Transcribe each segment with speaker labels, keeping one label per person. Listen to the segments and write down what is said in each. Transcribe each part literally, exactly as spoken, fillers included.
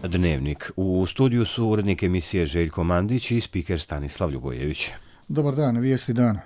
Speaker 1: Dnevnik. U studiju su urednik emisije Željko Mandić i spiker Stanislav Ljubojević.
Speaker 2: Dobar dan, vijesti dana.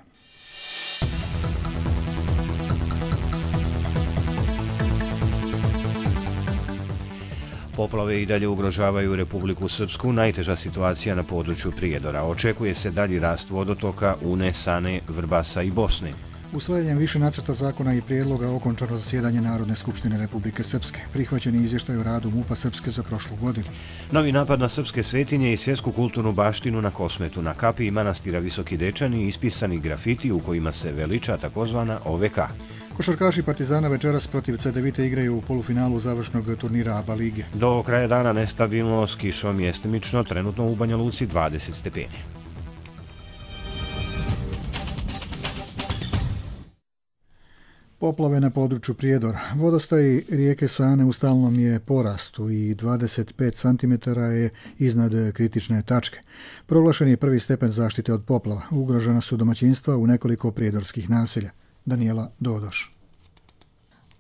Speaker 1: Poplave i dalje ugrožavaju Republiku Srpsku, najteža situacija na području Prijedora. Očekuje se dalji rast vodotoka Une, Sane, Vrbasa i Bosne.
Speaker 2: Usvajanjem više nacrta zakona i prijedloga okončano zasjedanje Narodne skupštine Republike Srpske. Prihvaćen je izvještaj o radu MUP-a Srpske za prošlu godinu.
Speaker 1: Novi napad na srpske svetinje i svjetsku kulturnu baštinu na Kosmetu. Na kapiji manastira Visoki Dečani ispisani grafiti u kojima se veliča takozvana O V K.
Speaker 2: Košarkaši Partizana večeras protiv Cedevite igraju u polufinalu završnog turnira ABA lige.
Speaker 1: Do kraja dana nestabilno, s kišom mjestimično, trenutno u Banja Luci dvadeset stepeni.
Speaker 2: Poplave na području Prijedora. Vodostaj rijeke Sane u stalnom je porastu i dvadeset pet centimetara je iznad kritične tačke. Proglašen je prvi stepen zaštite od poplava. Ugrožena su domaćinstva u nekoliko prijedorskih naselja. Danijela Dodoš.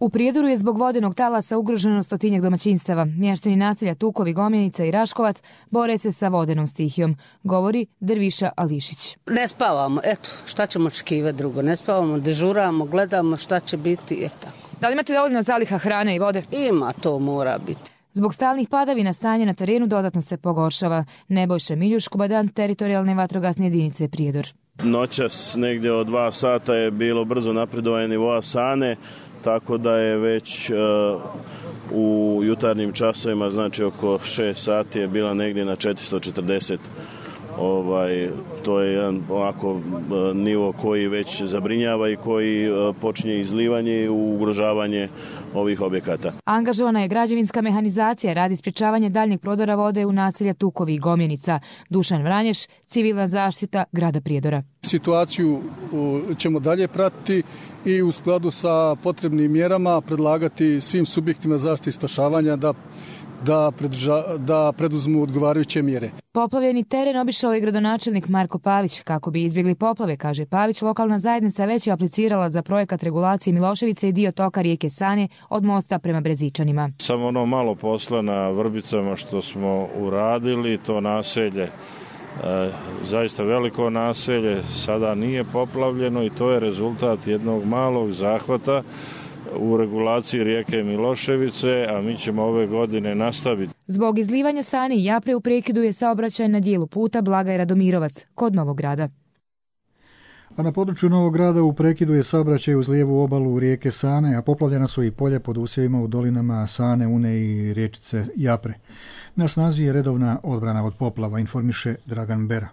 Speaker 3: U Prijedoru je zbog vodenog talasa ugroženo stotinjak domaćinstava. Mještani naselja Tukovi, Gomjenica i Raškovac bore se sa vodenom stihijom, govori Derviša Ališić.
Speaker 4: Ne spavamo, eto, šta ćemo očekivati drugo? Ne spavamo, dežuramo, gledamo šta će biti, eto.
Speaker 3: Da li imate dovoljno zaliha hrane i vode?
Speaker 4: Ima, to mora biti.
Speaker 3: Zbog stalnih padavina stanje na terenu dodatno se pogoršava. Nebojša Miljuš, komandant teritorijalne vatrogasne jedinice Prijedor.
Speaker 5: Noćas negdje od dva sata je bilo brzo napredovanje nivoa Sane, tako da je već uh, u jutarnjim časovima, znači oko šest sati je bila negdje na četiristo četrdeset. Ovaj, to je jedan ovako uh, nivo koji već zabrinjava i koji uh, počinje izlivanje i ugrožavanje ovih objekata.
Speaker 3: Angažovana je građevinska mehanizacija radi sprječavanja daljnjeg prodora vode u naselja Tukovi i Gomjenica. Dušan Vranješ, civilna zaštita grada Prijedora.
Speaker 6: Situaciju ćemo dalje pratiti i u skladu sa potrebnim mjerama predlagati svim subjektima zaštite i spašavanja da Da, predrža, da preduzmu odgovarajuće mjere.
Speaker 3: Poplavljeni teren obišao je gradonačelnik Marko Pavić. Kako bi izbjegli poplave, kaže Pavić, lokalna zajednica već je aplicirala za projekat regulacije Miloševice i dio toka rijeke Sane od mosta prema Brezičanima.
Speaker 5: Samo ono malo posla na Vrbicama što smo uradili, to naselje, e, zaista veliko naselje, sada nije poplavljeno i to je rezultat jednog malog zahvata u regulaciji rijeke Miloševice, a mi ćemo ove godine nastaviti.
Speaker 3: Zbog izlivanja Sane i Japre u prekidu je saobraćaj na dijelu puta Blagaj Radomirovac kod Novog Grada.
Speaker 2: A na području Novog Grada u prekidu je saobraćaj uz lijevu obalu rijeke Sane, a poplavljena su i polja pod usjevima u dolinama Sane, Une i riječice Japre. Na snazi je redovna odbrana od poplava, informiše Dragan Bera.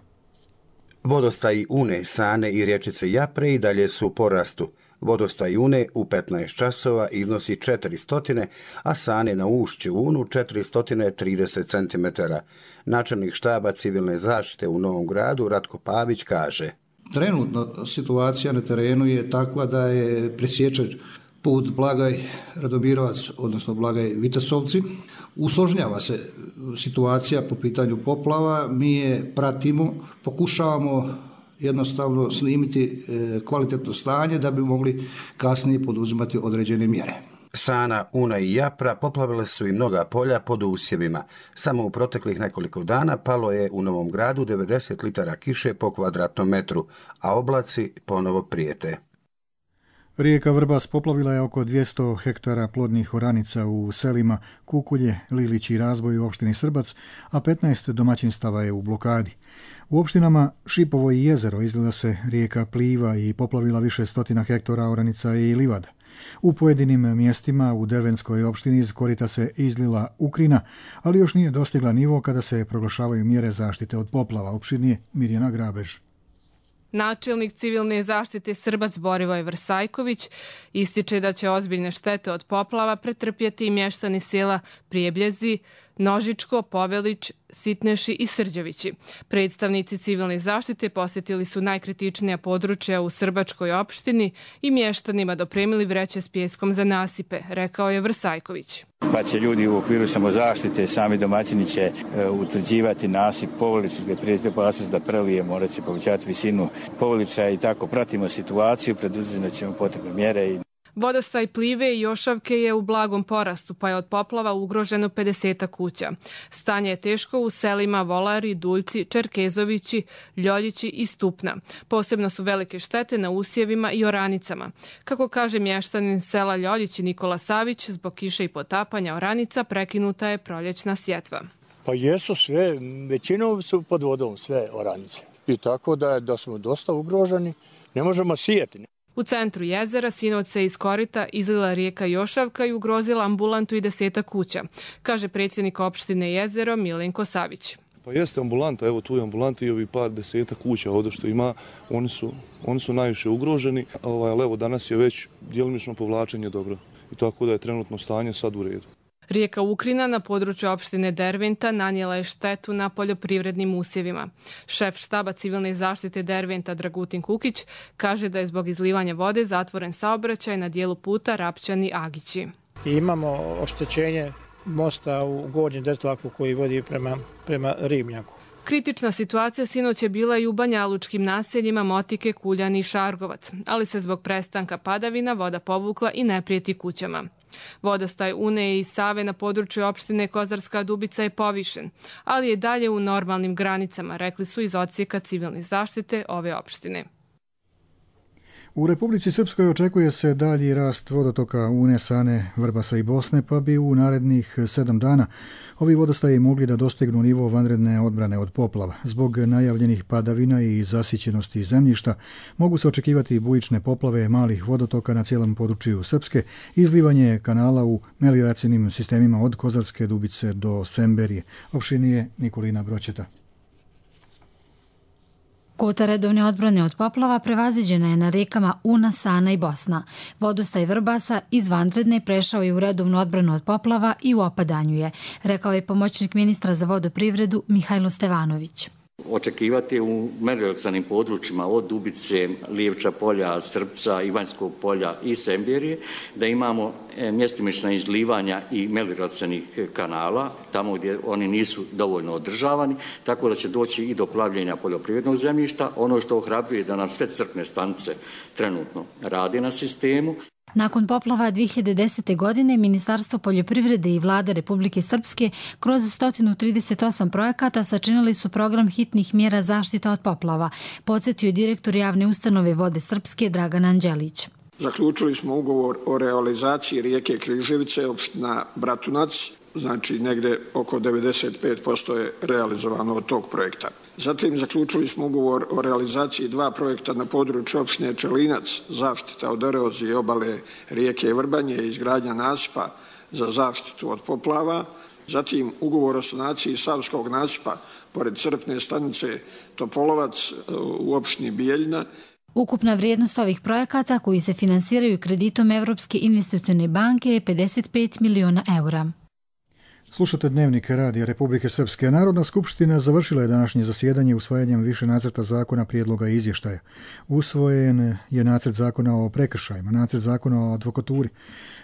Speaker 7: Vodostaj Une, Sane i riječice Japre i dalje su u porastu. Vodostaj Une u petnaest časova iznosi četiristo, a Sane na ušću Unu četiristo trideset centimetara. Načelnik štaba civilne zaštite u Novom Gradu Ratko Pavić kaže:
Speaker 8: Trenutno situacija na terenu je takva da je presječen put Blagaj Radomirovac, odnosno Blagaj Vitesovci. Usložnjava se situacija po pitanju poplava, mi je pratimo, pokušavamo jednostavno snimiti kvalitetno stanje da bi mogli kasnije poduzimati određene mjere.
Speaker 7: Sana, Una i Japra poplavile su i mnoga polja pod usjevima. Samo u proteklih nekoliko dana palo je u Novom Gradu devedeset litara kiše po kvadratnom metru, a oblaci ponovo prijete.
Speaker 2: Rijeka Vrbas poplavila je oko dvjesto hektara plodnih oranica u selima Kukulje, Lilić i Razboj u opštini Srbac, a petnaest domaćinstava je u blokadi. U opštinama Šipovo i Jezero izlila se rijeka Pliva i poplavila više stotina hektara oranica i livada. U pojedinim mjestima u Dervenskoj opštini iz korita se izlila Ukrina, ali još nije dostigla nivo kada se proglašavaju mjere zaštite od poplava. Opširnije Mirjana Grabež.
Speaker 9: Načelnik civilne zaštite Srbac Borivoj Vrsajković ističe da će ozbiljne štete od poplava pretrpjeti i mještani sela Prijebljezi, Nožičko, Povelić, Sitneši i Srđevići. Predstavnici civilne zaštite posjetili su najkritičnija područja u Srbačkoj opštini i mještanima dopremili vreće s pijeskom za nasipe, rekao je Vrsajković.
Speaker 10: Pa će ljudi u okviru samozaštite, sami domaćini će e, utvrđivati nasip Povelić, gdje prijeti opasnost da prelije, morat će povećati visinu Povelića i tako pratimo situaciju, preduzimati ćemo potrebne mjere. I...
Speaker 9: Vodostaj Plive i Jošavke je u blagom porastu, pa je od poplava ugroženo pedeset kuća. Stanje je teško u selima Volari, Duljci, Čerkezovići, Ljoljići i Stupna. Posebno su velike štete na usjevima i oranicama. Kako kaže mještanin sela Ljoljići Nikola Savić, zbog kiše i potapanja oranica prekinuta je proljećna sjetva.
Speaker 11: Pa jesu sve, većinom su pod vodom sve oranice. I tako da, da smo dosta ugroženi, ne možemo sijeti.
Speaker 9: U centru jezera sinoć se iz korita izlila rijeka Jošavka i ugrozila ambulantu i deseta kuća, kaže predsjednik opštine Jezero Milenko Savić.
Speaker 12: Pa jeste ambulanta, evo tu je ambulanta i ovi par deseta kuća ovdje što ima, oni su, oni su najviše ugroženi, ali evo danas je već djelomično povlačenje dobro i tako da je trenutno stanje sad u redu.
Speaker 9: Rijeka Ukrina na području opštine Derventa nanijela je štetu na poljoprivrednim usjevima. Šef štaba civilne zaštite Derventa Dragutin Kukić kaže da je zbog izlivanja vode zatvoren saobraćaj na dijelu puta Rapčani-Agići.
Speaker 13: Imamo oštećenje mosta u Gornjem Dertlaku koji vodi prema, prema Ribnjaku.
Speaker 9: Kritična situacija sinoć je bila i u banjalučkim naseljima Motike, Kuljani i Šargovac, ali se zbog prestanka padavina voda povukla i ne prijeti kućama. Vodostaj Une i Save na području opštine Kozarska Dubica je povišen, ali je dalje u normalnim granicama, rekli su iz odsjeka civilne zaštite ove opštine.
Speaker 2: U Republici Srpskoj očekuje se dalji rast vodotoka Une, Sane, Vrbasa i Bosne, pa bi u narednih sedam dana ovi vodostaji mogli da dostignu nivo vanredne odbrane od poplava. Zbog najavljenih padavina i zasićenosti zemljišta mogu se očekivati bujične poplave malih vodotoka na cijelom području Srpske, izlivanje kanala u melioracijnim sistemima od Kozarske Dubice do Semberije. Opštinije Nikolina Broćeta.
Speaker 14: Kvota redovne odbrane od poplava prevaziđena je na rekama Una, Sana i Bosna. Vodostaj Vrbasa iz vanredne prešao je u redovnu odbranu od poplava i u opadanju je, rekao je pomoćnik ministra za vodoprivredu Mihajlo Stevanović.
Speaker 15: Očekivati u melioracionim područjima od Dubice, Lijevča polja, Srpca, Ivanjskog polja i Semberije, da imamo mjestimična izlivanja i melioracionih kanala, tamo gdje oni nisu dovoljno održavani, tako da će doći i do plavljenja poljoprivrednog zemljišta. Ono što ohrabruje da nam sve crpne stanice trenutno rade na sistemu.
Speaker 14: Nakon poplava dvije hiljade desete. godine Ministarstvo poljoprivrede i Vlada Republike Srpske kroz sto trideset osam projekata sačinili su program hitnih mjera zaštita od poplava, podsjetio je direktor javne ustanove Vode Srpske Dragan Anđelić.
Speaker 16: Zaključili smo ugovor o realizaciji rijeke Križevice, opština Bratunac, znači negde oko devedeset pet posto je realizovano od tog projekta. Zatim zaključili smo ugovor o realizaciji dva projekta na području opštine Čelinac, zaštita od erozije obale rijeke Vrbanje i izgradnja nasipa za zaštitu od poplava. Zatim ugovor o sanaciji Savskog nasipa pored crpne stanice Topolovac u opštini Bijeljina.
Speaker 14: Ukupna vrijednost ovih projekata koji se finansiraju kreditom Evropske investicione banke je pedeset pet miliona eura.
Speaker 2: Slušate Dnevnik Radija Republike Srpske. Narodna skupština završila je današnje zasjedanje usvajanjem više nacrta zakona, prijedloga i izvještaja. Usvojen je nacrt zakona o prekršajima, nacrt zakona o advokaturi.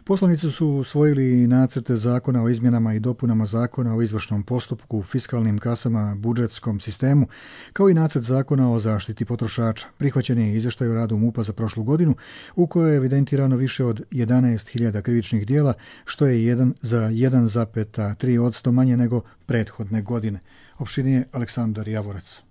Speaker 2: Poslanici su usvojili nacrte zakona o izmjenama i dopunama zakona o izvršnom postupku, fiskalnim kasama, budžetskom sistemu, kao i nacrt zakona o zaštiti potrošača. Prihvaćen je izvještaj o radu MUP-a za prošlu godinu, u kojoj je evidentirano više od jedanaest hiljada krivičnih dijela, što je jedan za jedan zarez tri posto manje nego prethodne godine. Opštinije Aleksandar Javorac.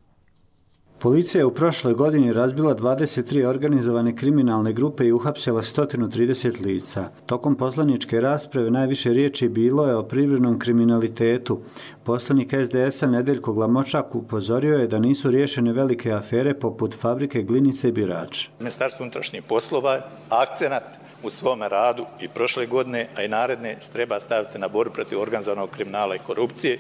Speaker 17: Policija je u prošloj godini razbila dvadeset tri organizovane kriminalne grupe i uhapsila sto trideset lica. Tokom poslaničke rasprave najviše riječi bilo je o privrednom kriminalitetu. Poslanik es de es-a Nedeljko Glamočak upozorio je da nisu riješene velike afere poput fabrike Glinice i Birač.
Speaker 18: Ministarstvo unutrašnjih poslova akcenat u svome radu i prošle godine, a i naredne, treba staviti na borbu protiv organizovanog kriminala i korupcije.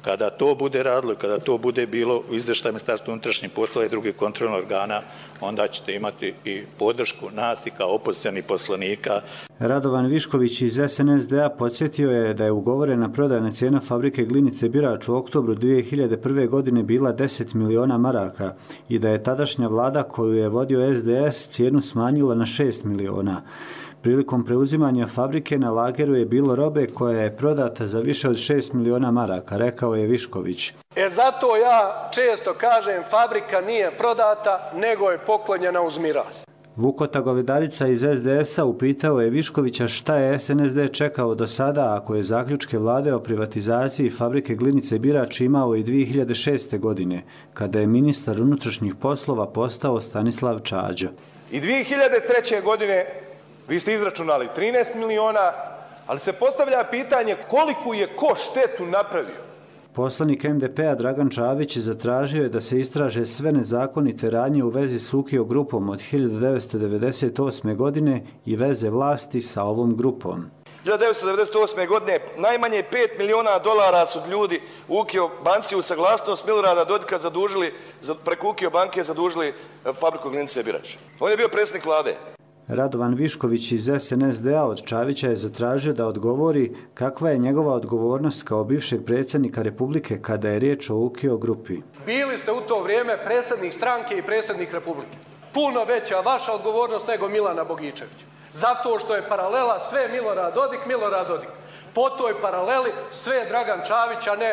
Speaker 18: Kada to bude radilo i kada to bude bilo u izvještaju Ministarstva unutrašnjih poslova i drugih kontrolnih organa, onda ćete imati i podršku nas i kao opozicionih poslanika.
Speaker 17: Radovan Višković iz es en es de a podsjetio je da je ugovorena prodajna cijena fabrike Glinice Birač u oktobru dvije hiljade prve. godine bila deset miliona maraka i da je tadašnja vlada koju je vodio es de es cijenu smanjila na šest miliona. Prilikom preuzimanja fabrike na lageru je bilo robe koja je prodata za više od šest miliona maraka, rekao je Višković.
Speaker 19: E zato ja često kažem fabrika nije prodata, nego je poklonjena uz miraz.
Speaker 17: Vukota Govedarica iz es de es a upitao je Viškovića šta je es en es de čekao do sada ako je zaključke vlade o privatizaciji fabrike Glinice Birač imao i dvije hiljade šeste. godine, kada je ministar unutrašnjih poslova postao Stanislav Čađa.
Speaker 19: I dvije hiljade treće. godine vi ste izračunali trinaest miliona, ali se postavlja pitanje koliko je ko štetu napravio.
Speaker 17: Poslanik em de pe a Dragan Čavić zatražio je da se istraže sve nezakonite radnje u vezi s Ukio grupom od hiljadu devetsto devedeset osme. godine i veze vlasti sa ovom grupom.
Speaker 19: hiljadu devetsto devedeset osme. godine najmanje pet miliona dolara su ljudi u Ukio banci u saglasnost Milorada Dodika zadužili, preko Ukio banke zadužili fabriku Glinice Birač. On je bio predsjednik vlade.
Speaker 17: Radovan Višković iz es en es de a od Čavića je zatražio da odgovori kakva je njegova odgovornost kao bivšeg predsjednika Republike kada je riječ o Ukio grupi.
Speaker 20: Bili ste u to vrijeme predsjednik stranke i predsjednik Republike. Puno veća vaša odgovornost nego Milana Bogičevića. Zato što je paralela sve Milorad Dodik, Milorad Dodik. Po toj paraleli sve je Dragan Čavić, a ne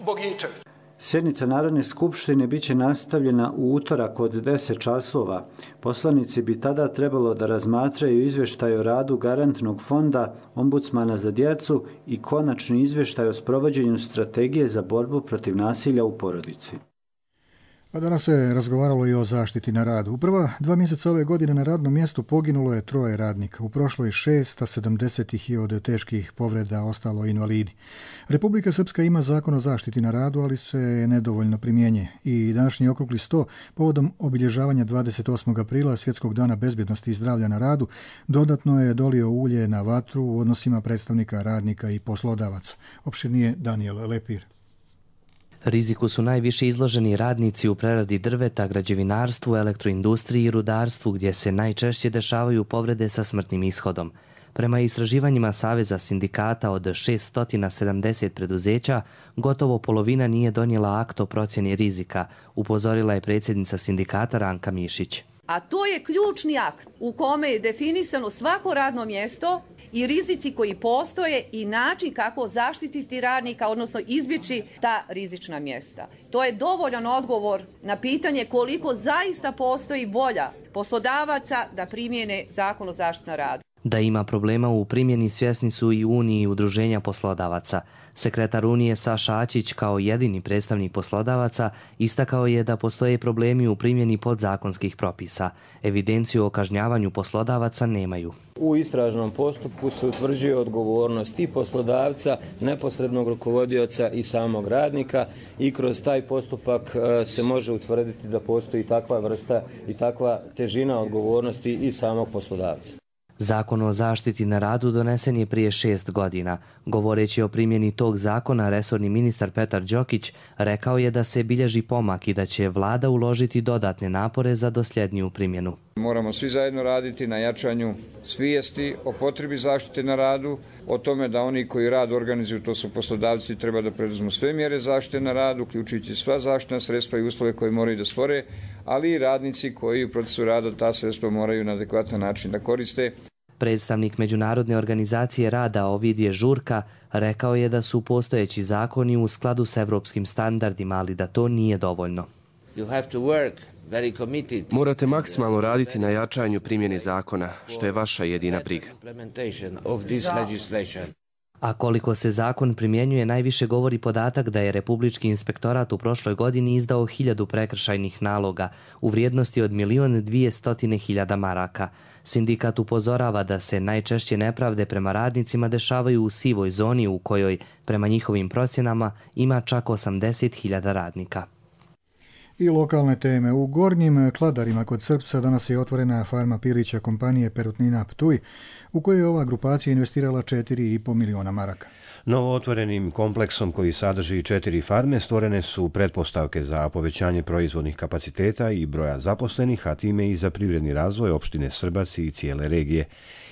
Speaker 20: Bogičević.
Speaker 17: Sjednica Narodne skupštine bit će nastavljena u utorak od deset časova. Poslanici bi tada trebalo da razmatraju izvještaj o radu Garantnog fonda, Ombudsmana za djecu i konačni izvještaj o sprovođenju strategije za borbu protiv nasilja u porodici.
Speaker 2: A danas se razgovaralo i o zaštiti na radu. U prva dva mjeseca ove godine na radnom mjestu poginulo je troje radnika. U prošloj šest, a sedamdeset ih je od teških povreda ostalo invalidi. Republika Srpska ima zakon o zaštiti na radu, ali se nedovoljno primjenjuje. I današnji okrugli sto povodom obilježavanja dvadeset osmog aprila Svjetskog dana bezbjednosti i zdravlja na radu dodatno je dolio ulje na vatru u odnosima predstavnika radnika i poslodavaca. Opširnije Daniel Lepir.
Speaker 21: Riziku su najviše izloženi radnici u preradi drveta, građevinarstvu, elektroindustriji i rudarstvu, gdje se najčešće dešavaju povrede sa smrtnim ishodom. Prema istraživanjima Saveza sindikata od šesto sedamdeset preduzeća, gotovo polovina nije donijela akt o procjeni rizika, upozorila je predsjednica sindikata Ranka Mišić.
Speaker 22: A to je ključni akt u kome je definisano svako radno mjesto i rizici koji postoje i način kako zaštititi radnika, odnosno izbjeći ta rizična mjesta. To je dovoljan odgovor na pitanje koliko zaista postoji volja poslodavaca da primjene zakon o zaštiti na radu.
Speaker 21: Da ima problema u primjeni svjesni su i Uniji udruženja poslodavaca. Sekretar Unije Saša Ačić kao jedini predstavnik poslodavaca istakao je da postoje problemi u primjeni podzakonskih propisa. Evidenciju o kažnjavanju poslodavaca nemaju.
Speaker 23: U istražnom postupku se utvrđuje odgovornost i poslodavca, neposrednog rukovodioca i samog radnika i kroz taj postupak se može utvrditi da postoji takva vrsta i takva težina odgovornosti i samog poslodavca.
Speaker 21: Zakon o zaštiti na radu donesen je prije šest godina. Govoreći o primjeni tog zakona, resorni ministar Petar Đokić rekao je da se bilježi pomak i da će vlada uložiti dodatne napore za dosljedniju primjenu.
Speaker 24: Moramo svi zajedno raditi na jačanju svijesti o potrebi zaštite na radu, o tome da oni koji rad organizuju, to su poslodavci, treba da preduzmu sve mjere zaštite na radu, uključujući sva zaštitna sredstva i uslove koje moraju da stvore, ali i radnici koji u procesu rada ta sredstva moraju na adekvatan način da koriste.
Speaker 21: Predstavnik Međunarodne organizacije rada Ovidije Žurka rekao je da su postojeći zakoni u skladu s evropskim standardima, ali da to nije dovoljno.
Speaker 25: Morate maksimalno raditi na jačanju primjene zakona, što je vaša jedina briga.
Speaker 21: A koliko se zakon primjenjuje, najviše govori podatak da je Republički inspektorat u prošloj godini izdao hiljadu prekršajnih naloga u vrijednosti od milion dvijestotine hiljada maraka. Sindikat upozorava da se najčešće nepravde prema radnicima dešavaju u sivoj zoni u kojoj, prema njihovim procjenama, ima čak osamdeset hiljada radnika.
Speaker 2: I lokalne teme. U Gornjim Kladarima kod Srpca danas je otvorena farma pilića kompanije Perutnina Ptuj, u kojoj je ova grupacija investirala četiri i po miliona maraka.
Speaker 1: Novo otvorenim kompleksom koji sadrži četiri farme stvorene su pretpostavke za povećanje proizvodnih kapaciteta i broja zaposlenih, a time i za privredni razvoj opštine Srbac i cijele regije.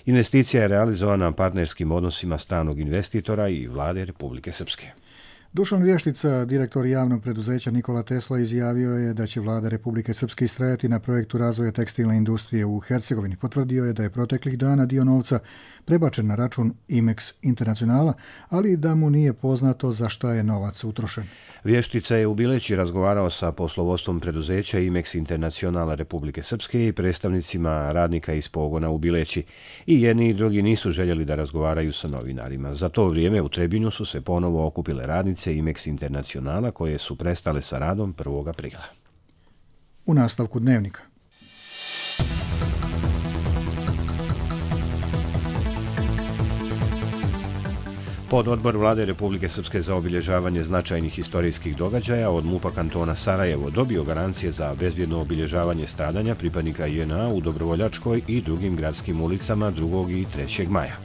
Speaker 1: Investicija je realizovana partnerskim odnosima stranog investitora i vlade Republike Srpske.
Speaker 2: Dušan Vještica, direktor javnog preduzeća Nikola Tesla, izjavio je da će vlada Republike Srpske istrajati na projektu razvoja tekstilne industrije u Hercegovini. Potvrdio je da je proteklih dana dio novca prebačen na račun Imex Internacionala, ali da mu nije poznato za šta je novac utrošen.
Speaker 1: Vještica je u Bileći razgovarao sa poslovodstvom preduzeća Imex Internacionala Republike Srpske i predstavnicima radnika iz pogona u Bileći. I jedni i drugi nisu željeli da razgovaraju sa novinarima. Za to vrijeme u Trebinju su se ponovo okupile radnice Imex Internacionala koje su prestale sa radom prvog aprila.
Speaker 2: U nastavku dnevnika.
Speaker 1: Pododbor Vlade Republike Srpske za obilježavanje značajnih historijskih događaja od MUP-a kantona Sarajevo dobio garancije za bezbjedno obilježavanje stradanja pripadnika J N A u Dobrovoljačkoj i drugim gradskim ulicama drugog i trećeg maja.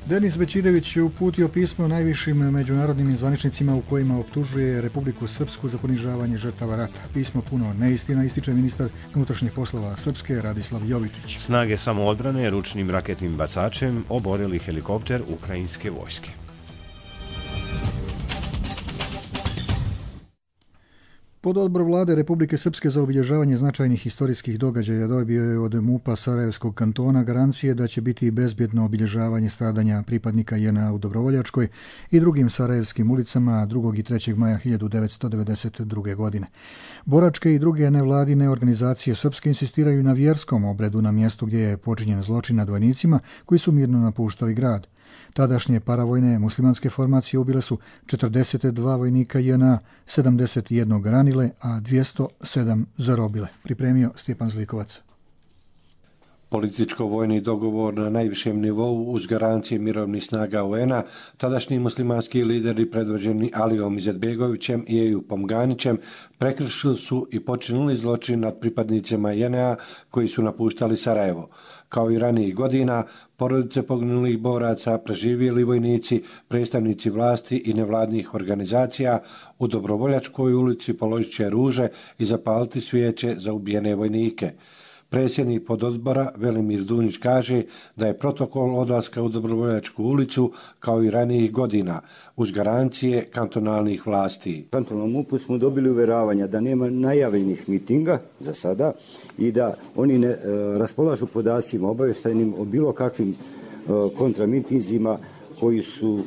Speaker 2: Denis Bećirević je uputio pismo najvišim međunarodnim zvaničnicima u kojima optužuje Republiku Srpsku za ponižavanje žrtava rata. Pismo puno neistina, ističe ministar unutrašnjih poslova Srpske Radislav Jovičić.
Speaker 1: Snage samoodbrane ručnim raketnim bacačem oborili helikopter ukrajinske vojske.
Speaker 2: Pododbor Vlade Republike Srpske za obilježavanje značajnih historijskih događaja dobio je od MUP-a Sarajevskog kantona garancije da će biti bezbjedno obilježavanje stradanja pripadnika J N A u Dobrovoljačkoj i drugim sarajevskim ulicama drugog i trećeg maja hiljadu devetsto devedeset druge. godine. Boračke i druge nevladine organizacije srpske insistiraju na vjerskom obredu na mjestu gdje je počinjen zločin nad vojnicima koji su mirno napuštali grad. Tadašnje paravojne muslimanske formacije ubile su četrdeset dva vojnika J N A, sedamdeset jedan ranile, a dvjesto sedam zarobile. Pripremio Stjepan Zlikovac.
Speaker 3: Političko-vojni dogovor na najvišem nivou uz garancije mirovnih snaga U N-a, tadašnji muslimanski lideri predvođeni Alijom Izetbegovićem i Ejupom Ganićem prekršili su i počinili zločin nad pripadnicima J N A koji su napuštali Sarajevo. Kao i ranijih godina, porodice poginulih boraca, preživjeli vojnici, predstavnici vlasti i nevladnih organizacija u Dobrovoljačkoj ulici položit će ruže i zapaliti svijeće za ubijene vojnike. Predsjednik pododbora Velimir Dunić kaže da je protokol odlaska u Dobrovoljačku ulicu kao i ranijih godina uz garancije kantonalnih vlasti.
Speaker 4: U kantonalnom MUP-u smo dobili uveravanja da nema najavljenih mitinga za sada i da oni ne raspolažu podacima obavještajnim o bilo kakvim kontramitinzima koji su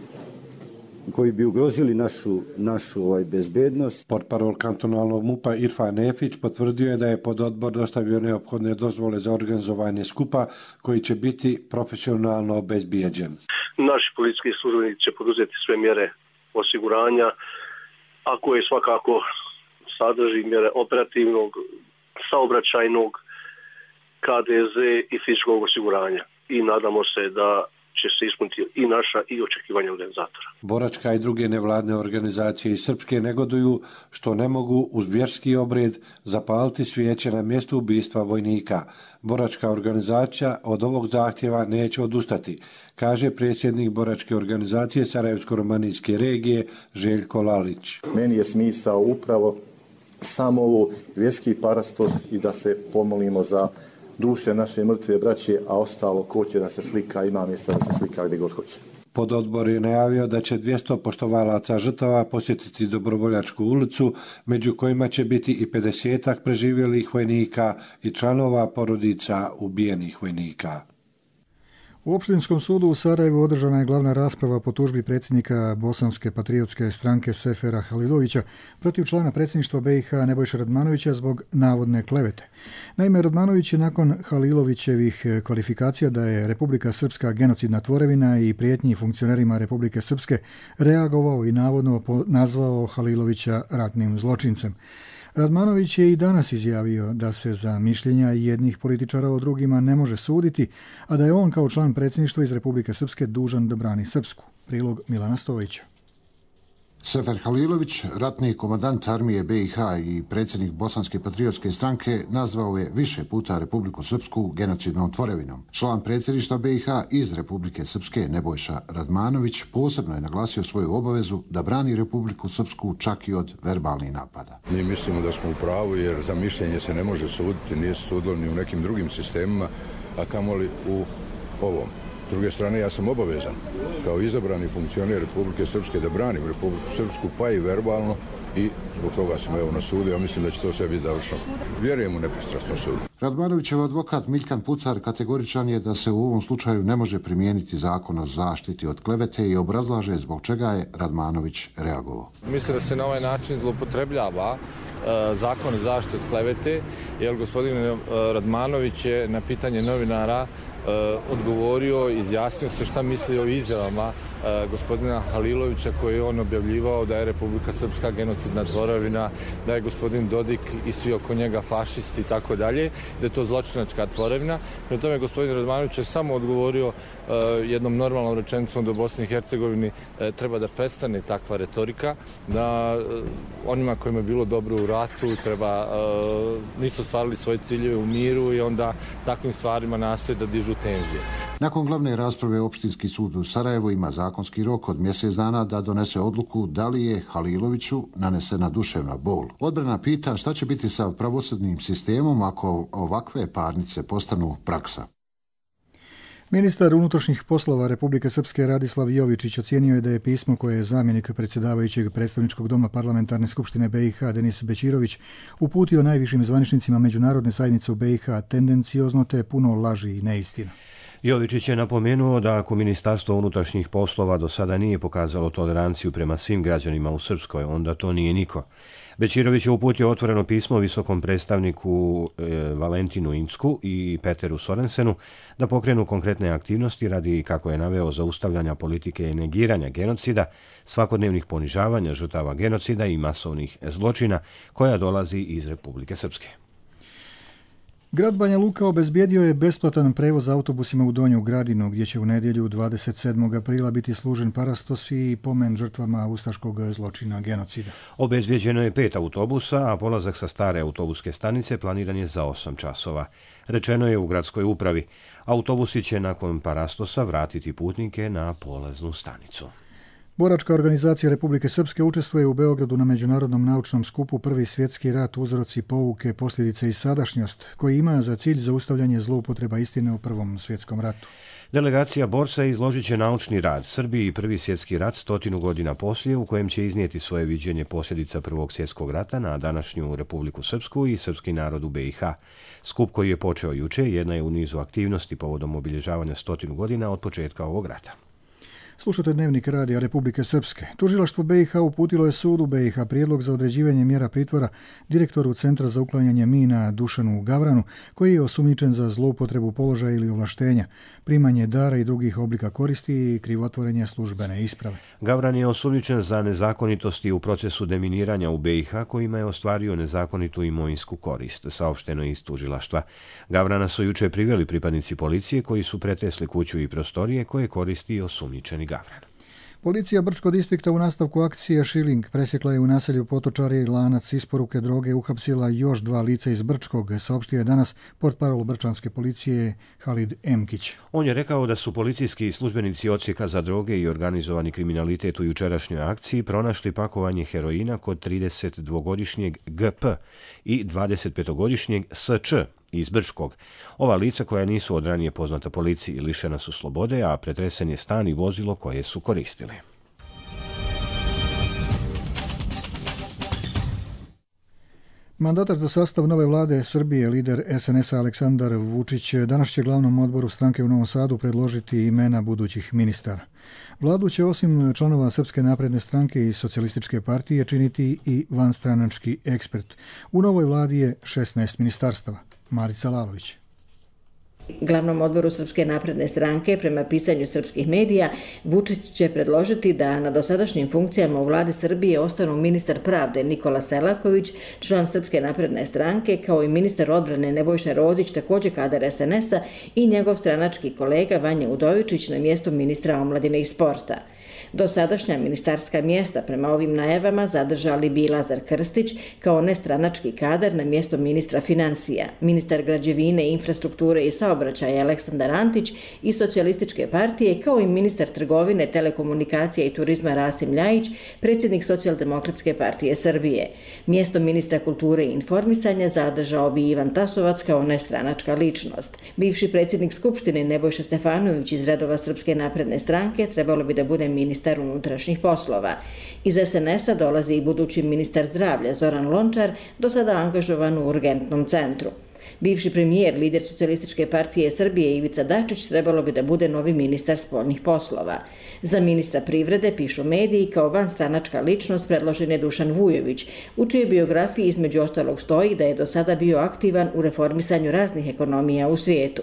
Speaker 4: koji bi ugrozili našu, našu ovaj, bezbednost.
Speaker 3: Portparol kantonalnog MUP-a Irfan Nefić potvrdio je da je pododbor dostavio neophodne dozvole za organizovanje skupa koji će biti profesionalno obezbijeđen.
Speaker 5: Naši policijski službenici će poduzeti sve mjere osiguranja, a koje svakako sadrži mjere operativnog, saobraćajnog, K D Z i fizičkog osiguranja. I nadamo se da će se ispuniti i naša i očekivanja organizatora.
Speaker 3: Boračka i druge nevladne organizacije iz Srpske negoduju što ne mogu uz vjerski obred zapaliti svijeće na mjestu ubistva vojnika. Boračka organizacija od ovog zahtjeva neće odustati, kaže predsjednik Boračke organizacije Sarajevsko-romanijske regije Željko Lalić.
Speaker 6: Meni je smisao upravo samo ovo vjerski parastos i da se pomolimo za duše naše mrtve braće, a ostalo ko će da se slika, ima mjesta da se slika gdje god hoće.
Speaker 3: Pododbor je najavio da će dvjesto poštovalaca žrtava posjetiti Dobrovoljačku ulicu, među kojima će biti i pedesetak preživjelih vojnika i članova porodica ubijenih vojnika.
Speaker 2: U Opštinskom sudu u Sarajevu održana je glavna rasprava po tužbi predsjednika Bosanske patriotske stranke Sefera Halilovića protiv člana predsjedništva B i H Nebojše Radmanovića zbog navodne klevete. Naime, Radmanović je nakon Halilovićevih kvalifikacija da je Republika Srpska genocidna tvorevina i prijetnji funkcionerima Republike Srpske reagovao i navodno nazvao Halilovića ratnim zločincem. Radmanović je i danas izjavio da se za mišljenja jednih političara o drugima ne može suditi, a da je on kao član predsjedništva iz Republike Srpske dužan da brani Srpsku. Prilog Milana Stojića.
Speaker 8: Sefer Halilović, ratni komandant armije B i H i predsjednik Bosanske patriotske stranke, nazvao je više puta Republiku Srpsku genocidnom tvorevinom. Član predsjedništva B i H iz Republike Srpske Nebojša Radmanović posebno je naglasio svoju obavezu da brani Republiku Srpsku čak i od verbalnih napada.
Speaker 26: Mi mislimo da smo u pravu jer za mišljenje se ne može suditi, nije se sudilo ni u nekim drugim sistemima, a kamoli u ovom. druge strane, ja sam obavezan kao izabrani funkcioner Republike Srpske da branim Republiku Srpsku, pa i verbalno, i zbog toga sam evo na sudu. Ja mislim da će to sve biti završeno. Vjerujem u nepristrasnom sudu.
Speaker 8: Radmanovićev advokat Miljkan Pucar kategoričan je da se u ovom slučaju ne može primijeniti zakon o zaštiti od klevete i obrazlaže zbog čega je Radmanović reagovao.
Speaker 7: Mislim da se na ovaj način zloupotrebljava zakon o zaštiti od klevete, jer gospodin Radmanović je na pitanje novinara odgovorio, izjasnio se šta misli o izjavama gospodina Halilovića koji je on objavljivao da je Republika Srpska genocidna tvorevina, da je gospodin Dodik i svi oko njega fašisti i tako dalje, da je to zločinačka tvorevina. Prema tome gospodin Radmanović je samo odgovorio jednom normalnom rečenicom da u Bosni i Hercegovini treba da prestane takva retorika, da onima kojima je bilo dobro u ratu treba, nisu ostvarili svoje ciljeve u miru i onda takvim stvarima nastoje da dižu tenzije.
Speaker 8: Nakon glavne rasprave Opštinski sud u Sarajevu ima zakonski rok od mjesec dana da donese odluku da li je Haliloviću nanesena duševna bol. Odbrana pita šta će biti sa pravosudnim sistemom ako ovakve parnice postanu praksa.
Speaker 2: Ministar unutrašnjih poslova Republike Srpske Radislav Jovičić ocijenio je da je pismo koje je zamjenik predsjedavajućeg predstavničkog doma Parlamentarne skupštine B i H Denis Bećirović uputio najvišim zvaničnicima međunarodne zajednice u B i H tendenciozno te puno laži i neistina.
Speaker 1: Jovičić je napomenuo da ako Ministarstvo unutrašnjih poslova do sada nije pokazalo toleranciju prema svim građanima u Srpskoj, onda to nije niko. Bećirović je uputio otvoreno pismo visokom predstavniku e, Valentinu Incku i Peteru Sorensenu da pokrenu konkretne aktivnosti radi, kako je naveo, zaustavljanja politike i negiranja genocida, svakodnevnih ponižavanja žrtava genocida i masovnih zločina koja dolazi iz Republike Srpske.
Speaker 2: Grad Banja Luka obezbijedio je besplatan prevoz autobusima u Donju Gradinu, gdje će u nedjelju dvadeset sedmog aprila biti služen parastos i pomen žrtvama ustaškog zločina genocida.
Speaker 1: Obezbijeđeno je pet autobusa, a polazak sa stare autobuske stanice planiran je za osam časova. Rečeno je u gradskoj upravi. Autobusi će nakon parastosa vratiti putnike na polaznu stanicu.
Speaker 2: Boračka organizacija Republike Srpske učestvuje u Beogradu na međunarodnom naučnom skupu Prvi svjetski rat, uzroci, pouke, posljedice i sadašnjost, koji ima za cilj zaustavljanje zloupotreba istine u Prvom svjetskom ratu.
Speaker 1: Delegacija borca izložit će naučni rad Srbiji i Prvi svjetski rat stotinu godina poslije, u kojem će iznijeti svoje viđenje posljedica Prvog svjetskog rata na današnju Republiku Srpsku i srpski narod u B i H. Skup koji je počeo juče jedna je u nizu aktivnosti povodom obilježavanja stotinu godina od početka ovog rata.
Speaker 2: Slušate Dnevnik radija Republike Srpske. Tužilaštvo B i H uputilo je sudu B i H prijedlog za određivanje mjera pritvora direktoru Centra za uklanjanje mina Dušanu Gavranu, koji je osumnjičen za zloupotrebu položaja ili ovlaštenja, primanje dara i drugih oblika koristi i krivotvorenje službene isprave.
Speaker 1: Gavran je osumnjičen za nezakonitosti u procesu deminiranja u B i H kojima je ostvario nezakonitu imovinsku korist, saopšteno iz tužilaštva. Gavrana su juče priveli pripadnici policije koji su pretresli kuću i prostorije koje koristi osumnjičeni Gavran.
Speaker 2: Policija Brčkog distrikta u nastavku akcije Šiling presjekla je u naselju Potočari lanac isporuke droge i uhapsila još dva lica iz Brčkog, saopštio je danas portparol brčanske policije Halid Emkić.
Speaker 1: On je rekao da su policijski službenici odsjeka za droge i organizovani kriminalitet u jučerašnjoj akciji pronašli pakovanje heroina kod tridesetdvogodišnjeg G P i dvadesetpetogodišnjeg S Č iz Brčkog. Ova lica koja nisu od ranije poznata policiji lišena su slobode, a pretresen je stan i vozilo koje su koristili.
Speaker 2: Mandatar za sastav nove vlade Srbije, lider S N S-a Aleksandar Vučić, danas će glavnom odboru stranke u Novom Sadu predložiti imena budućih ministara. Vladu će osim članova Srpske napredne stranke i Socijalističke partije činiti i vanstranački ekspert. U novoj vladi je šesnaest ministarstava. Marica Lalović.
Speaker 9: Glavnom odboru Srpske napredne stranke, prema pisanju srpskih medija, Vučić će predložiti da na dosadašnjim funkcijama u vladi Srbije ostanu ministar pravde Nikola Selaković, član Srpske napredne stranke, kao i ministar odbrane Nebojša Rodić, također kadar S N S-a, i njegov stranački kolega Vanja Udovičić na mjestu ministra omladine i sporta. Dosadašnja ministarska mjesta prema ovim najavama zadržali bi Lazar Krstić kao nestranački kadar na mjesto ministra financija, ministar građevine, infrastrukture i saobraćaja Aleksandar Antić i Socijalističke partije, kao i ministar trgovine, telekomunikacija i turizma Rasim Ljajić, predsjednik Socijaldemokratske partije Srbije. Mjesto ministra kulture i informisanja zadržao bi Ivan Tasovac kao nestranačka ličnost. Bivši predsjednik Skupštine Nebojša Stefanović iz redova Srpske napredne stranke trebalo bi da bude ministar unutrašnjih poslova. Iz es en es a dolazi i budući ministar zdravlja Zoran Lončar, do sada angažovan u urgentnom centru. Bivši premijer, lider Socijalističke partije Srbije Ivica Dačić trebalo bi da bude novi ministar spoljnih poslova. Za ministra privrede, pišu mediji, kao vanstranačka ličnost predložen je Dušan Vujović, u čijoj biografiji između ostalog stoji da je do sada bio aktivan u reformisanju raznih ekonomija u svijetu.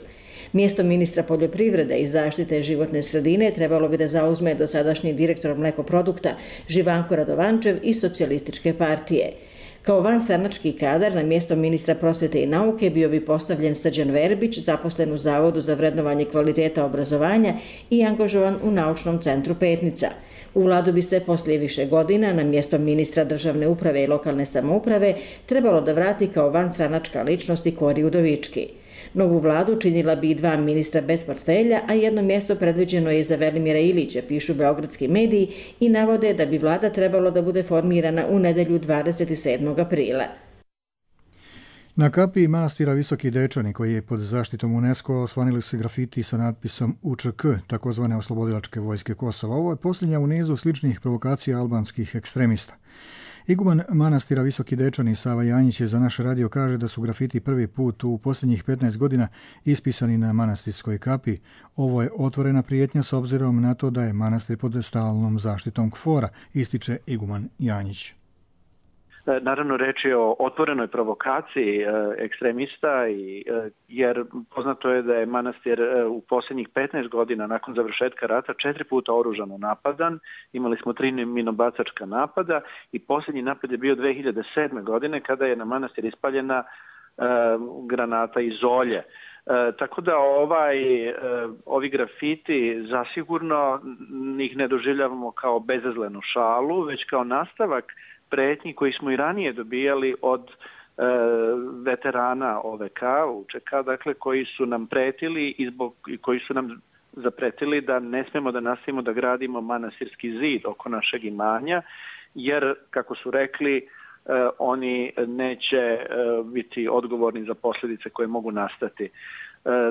Speaker 9: Mjesto ministra poljoprivrede i zaštite životne sredine trebalo bi da zauzme dosadašnji direktor mlekoprodukta Živanko Radovančev iz Socijalističke partije. Kao vanstranački kadar na mjesto ministra prosvete i nauke bio bi postavljen Srđan Verbić, zaposlen u Zavodu za vrednovanje kvaliteta obrazovanja i angažovan u naučnom centru Petnica. U vladu bi se poslije više godina na mjesto ministra državne uprave i lokalne samouprave trebalo da vrati kao vanstranačka ličnost i Kori Udovički. Novu vladu činila bi i dva ministra bez portfelja, a jedno mjesto predviđeno je za Velimira Ilića, pišu beogradski mediji i navode da bi vlada trebalo da bude formirana u nedelju dvadeset sedmog aprila.
Speaker 2: Na kapiji manastira Visoki Dečani, koji je pod zaštitom UNESCO, osvanili su grafiti sa natpisom U Č K, takozvane oslobodilačke vojske Kosova. Ovo je posljednja u nizu sličnih provokacija albanskih ekstremista. Iguman manastira Visoki Dečani Sava Janjić je za naš radio kaže da su grafiti prvi put u posljednjih petnaest godina ispisani na manastirskoj kapi. Ovo je otvorena prijetnja s obzirom na to da je manastir pod stalnom zaštitom KFOR-a, ističe Iguman Janjić.
Speaker 10: Naravno, reč je o otvorenoj provokaciji ekstremista, jer poznato je da je manastir u posljednjih petnaest godina nakon završetka rata četiri puta oružano napadan. Imali smo tri minobacačka napada i posljednji napad je bio dve hiljade sedme. godine kada je na manastir ispaljena granata iz Olje. E, tako da ovaj, e, ovi grafiti zasigurno njih ne doživljavamo kao bezazlenu šalu, već kao nastavak pretnji koji smo i ranije dobijali od e, veterana O V K, U Č K, dakle, koji su nam pretili i zbog, koji su nam zapretili da ne smemo da nastavimo da gradimo manastirski zid oko našeg imanja, jer, kako su rekli, e, oni neće e, biti odgovorni za posljedice koje mogu nastati.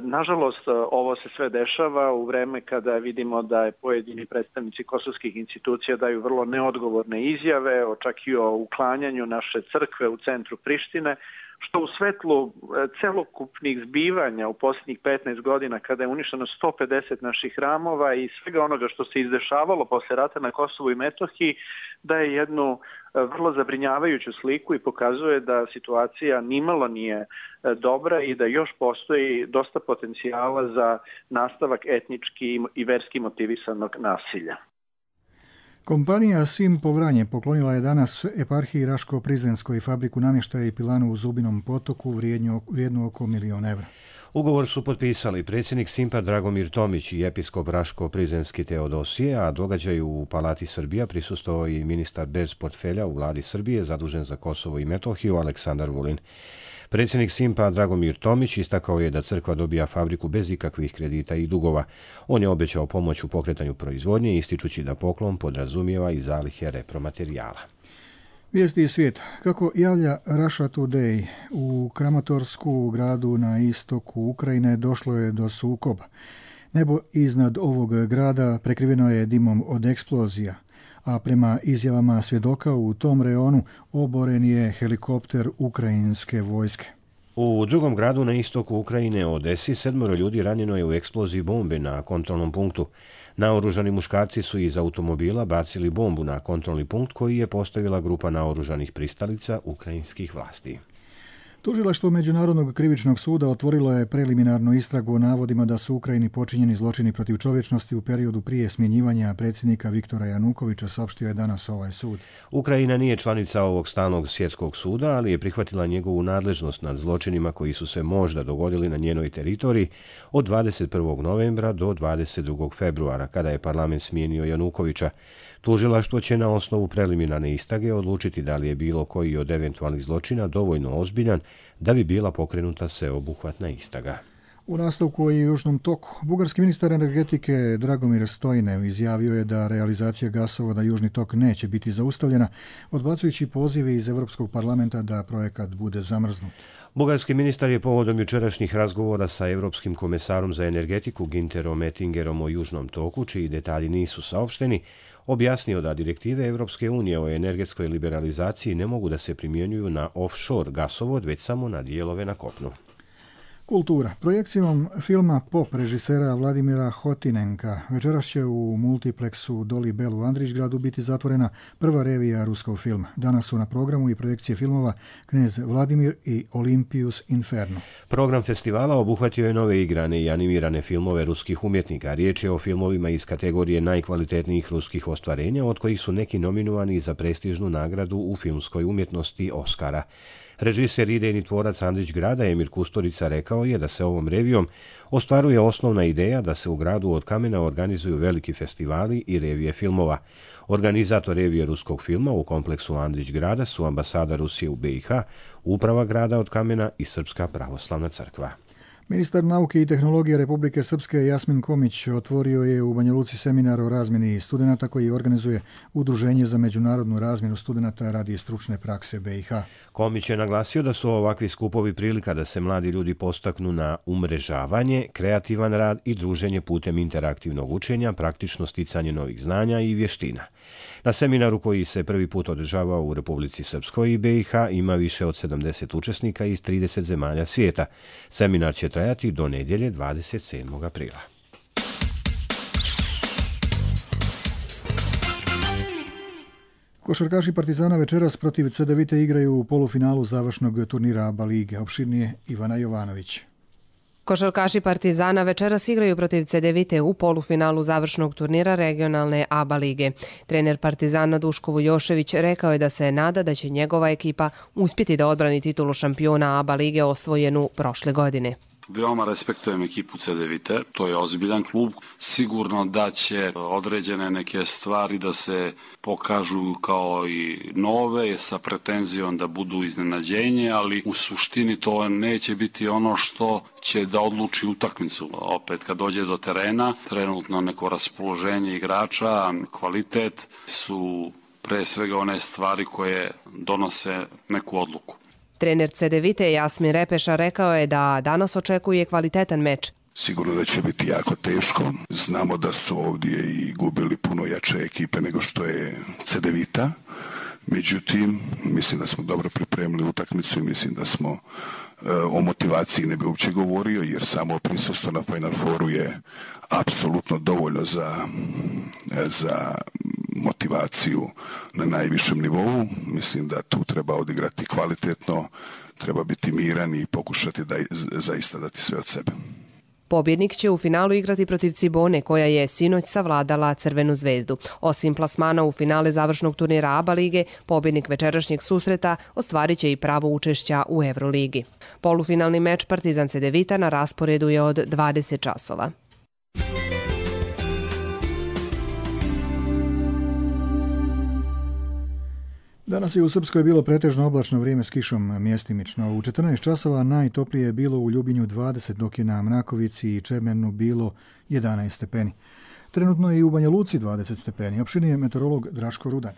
Speaker 10: Nažalost, ovo se sve dešava u vreme kada vidimo da je pojedini predstavnici kosovskih institucija daju vrlo neodgovorne izjave, čak i o uklanjanju naše crkve u centru Prištine, što u svetlu celokupnih zbivanja u posljednjih petnaest godina, kada je uništeno sto pedeset naših hramova i svega onoga što se izdešavalo posle rata na Kosovu i Metohiji, daje jednu vrlo zabrinjavajuću sliku i pokazuje da situacija nimalo nije dobra i da još postoji dosta potencijala za nastavak etnički i verski motivisanog nasilja.
Speaker 2: Kompanija Sim Povranje poklonila je danas eparhiji Raško-Prizrenskoj fabriku namještaja i pilanu u Zubinom potoku vrijednu oko milion evra.
Speaker 1: Ugovor su potpisali predsjednik Simpa Dragomir Tomić i episkop Raško-Prizrenski Teodosije, a događaju u Palati Srbija prisustvovao i ministar bez portfelja u vladi Srbije zadužen za Kosovo i Metohiju Aleksandar Vulin. Predsjednik Simpa Dragomir Tomić istakao je da crkva dobija fabriku bez ikakvih kredita i dugova. On je obećao pomoć u pokretanju proizvodnje, ističući da poklon podrazumijeva i zalihe repromaterijala.
Speaker 2: Vijesti iz svijeta. Kako javlja Russia Today, u Kramatorsku, gradu na istoku Ukrajine, došlo je do sukoba. Nebo iznad ovog grada prekriveno je dimom od eksplozija, a prema izjavama svjedoka u tom reonu oboren je helikopter ukrajinske vojske.
Speaker 1: U drugom gradu na istoku Ukrajine, Odesi, sedmoro ljudi ranjeno je u eksploziji bombe na kontrolnom punktu. Naoružani muškarci su iz automobila bacili bombu na kontrolni punkt koji je postavila grupa naoružanih pristalica ukrajinskih vlasti.
Speaker 2: Tužilaštvo Međunarodnog krivičnog suda otvorilo je preliminarnu istragu o navodima da su u Ukrajini počinjeni zločini protiv čovječnosti u periodu prije smjenjivanja predsjednika Viktora Janukovića, saopštio je danas ovaj sud.
Speaker 1: Ukrajina nije članica ovog stalnog svjetskog suda, ali je prihvatila njegovu nadležnost nad zločinima koji su se možda dogodili na njenoj teritoriji od dvadeset prvog novembra do dvadeset drugog februara, kada je parlament smijenio Janukovića. Tužilaštvo će na osnovu preliminarne istrage odlučiti da li je bilo koji od eventualnih zločina dovoljno ozbiljan da bi bila pokrenuta sveobuhvatna istraga.
Speaker 2: U nastavku i Južnom toku, bugarski ministar energetike Dragomir Stojnev izjavio je da realizacija gasovoda Južni tok neće biti zaustavljena, odbacujući pozive iz Europskog parlamenta da projekat bude zamrznut.
Speaker 1: Bugarski ministar je povodom jučerašnjih razgovora sa Europskim komesarom za energetiku Ginterom Ettingerom o Južnom toku, čiji detalji nisu saopšteni, objasnio da direktive Europske unije o energetskoj liberalizaciji ne mogu da se primjenjuju na offshore gasovod, već samo na dijelove na kopnu.
Speaker 2: Kultura. Projekcijom filma Pop režisera Vladimira Hotinenka večeras će u multipleksu Doli Bell u Andrićgradu biti zatvorena prva revija ruskog filma. Danas su na programu i projekcije filmova Knez Vladimir i Olympus Inferno.
Speaker 1: Program festivala obuhvatio je nove igrane i animirane filmove ruskih umjetnika. Riječ je o filmovima iz kategorije najkvalitetnijih ruskih ostvarenja, od kojih su neki nominovani za prestižnu nagradu u filmskoj umjetnosti Oscara. Režiser, idejni tvorac Andrićgrada Emir Kusturica rekao je da se ovom revijom ostvaruje osnovna ideja da se u gradu od kamena organizuju veliki festivali i revije filmova. Organizator revije ruskog filma u kompleksu Andrićgrada su ambasada Rusije u B i H, uprava grada od kamena i Srpska pravoslavna crkva.
Speaker 2: Ministar nauke i tehnologije Republike Srpske Jasmin Komić otvorio je u Banja Luci seminar o razmjeni studenata koji organizuje Udruženje za međunarodnu razmjenu studenata radi stručne prakse B i H.
Speaker 1: Komić je naglasio da su ovakvi skupovi prilika da se mladi ljudi postaknu na umrežavanje, kreativan rad i druženje putem interaktivnog učenja, praktično sticanje novih znanja i vještina. Na seminaru koji se prvi put održavao u Republici Srpskoj i B i H ima više od sedamdeset učesnika iz trideset zemalja svijeta. Seminar će trajati do nedjelje dvadeset sedmog aprila.
Speaker 2: Košarkaši Partizana večeras protiv Cedevite igraju u polufinalu završnog turnira ABA lige. Opširnije Ivana Jovanović.
Speaker 11: Košarkaši Partizana večeras igraju protiv Cedevite u polufinalu završnog turnira regionalne ABA lige. Trener Partizana Duško Vujošević rekao je da se nada da će njegova ekipa uspjeti da odbrani titulu šampiona ABA lige osvojenu prošle godine.
Speaker 12: Veoma respektujem ekipu Cedevite, to je ozbiljan klub. Sigurno da će određene neke stvari da se pokažu kao i nove sa pretenzijom da budu iznenađenje, ali u suštini to neće biti ono što će da odluči utakmicu. Opet kad dođe do terena, trenutno neko raspoloženje igrača, kvalitet su pre svega one stvari koje donose neku odluku.
Speaker 11: Trener Cedevite Jasmin Repeša rekao je da danas očekuje kvalitetan meč.
Speaker 13: Sigurno da će biti jako teško. Znamo da su ovdje i gubili puno jače ekipe nego što je Cedevita. Međutim, mislim da smo dobro pripremili utakmicu i mislim da smo e, o motivaciji ne bi uopće govorio, jer samo prisustvo na Final Fouru je apsolutno dovoljno za, za motivaciju na najvišem nivou. Mislim da tu treba odigrati kvalitetno, treba biti miran i pokušati da zaista dati sve od sebe.
Speaker 11: Pobjednik će u finalu igrati protiv Cibone, koja je sinoć savladala Crvenu zvezdu. Osim plasmana u finale završnog turnira ABA lige, pobjednik večerašnjeg susreta ostvarit će i pravo učešća u Euroligi. Polufinalni meč Partizan Cedevita na rasporedu je od dvadeset časova.
Speaker 2: Danas je u Srpskoj bilo pretežno oblačno vrijeme s kišom mjestimično. U četrnaest časova najtoplije je bilo u Ljubinju dvadeset, dok je na Mrakovici i Čemernu bilo jedanaest stepeni. Trenutno je i u Banja Luci dvadeset stepeni. Opširnije meteorolog Draško Rudan.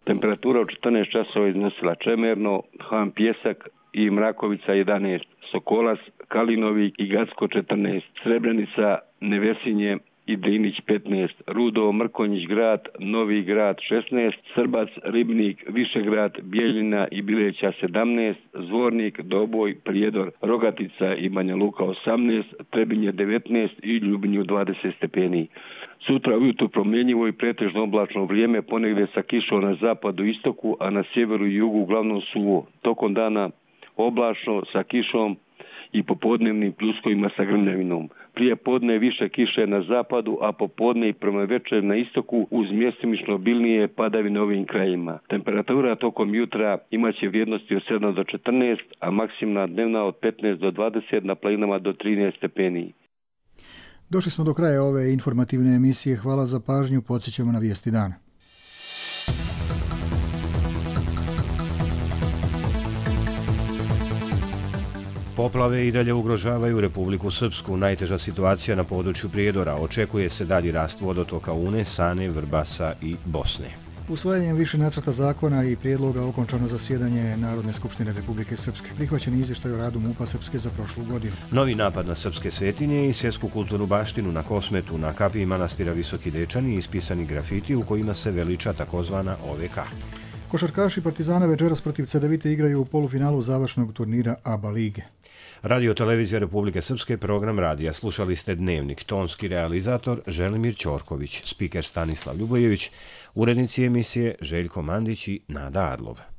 Speaker 14: Temperatura u četrnaest časova iznosila Čemerno, Han Pjesak i Mrakovica jedanaest, Sokolac, Kalinovi i Gacko četrnaest, Srebrenica, Nevesinje i Drinić petnaest, Rudo, Mrkonjić grad, Novi grad šesnaest, Srbac, Ribnik, Višegrad, Bijeljina i Bileća sedamnaest, Zvornik, Doboj, Prijedor, Rogatica i Banja Luka osamnaest, Trebinje devetnaest i Ljubinju dvadeset stepeni. Sutra ujutro promjenjivo i pretežno oblačno vrijeme, ponegdje sa kišom na zapadu i istoku, a na sjeveru i jugu uglavnom suvo. Tokom dana oblačno sa kišom i popodnevnim pljuskovima sa grmljavinom. Prije podne više kiše na zapadu, a popodne i prema večer na istoku uz mjestimično obilnije padavine ovim krajima. Temperatura tokom jutra imaće vrijednosti od sedam do četrnaest, a maksimna dnevna od petnaest do dvadeset, na planinama do trinaest stepeni.
Speaker 2: Došli smo do kraja ove informativne emisije. Hvala za pažnju. Podsjećamo na vijesti dana.
Speaker 1: Poplave i dalje ugrožavaju Republiku Srpsku. Najteža situacija na području Prijedora. Očekuje se dalji rast vodotoka Une, Sane, Vrbasa i Bosne.
Speaker 2: Usvajanjem više nacrta zakona i prijedloga okončano zasjedanje Narodne skupštine Republike Srpske. Prihvaćen je izvještaj o radu MUP-a Srpske za prošlu godinu.
Speaker 1: Novi napad na srpske svetinje i svjetsku kulturnu baštinu na Kosmetu, na kapiji manastira Visoki Dečani, ispisani grafiti u kojima se veliča takozvana O V K.
Speaker 2: Košarkaši Partizana večeras protiv Cedevite igraju u polufinalu završnog turnira A B A lige.
Speaker 1: Radio Televizija Republike Srpske, program radija. Slušali ste Dnevnik. Tonski realizator Želimir Ćorković, spiker Stanislav Ljubojević, urednici emisije Željko Mandić i Nada Arlov.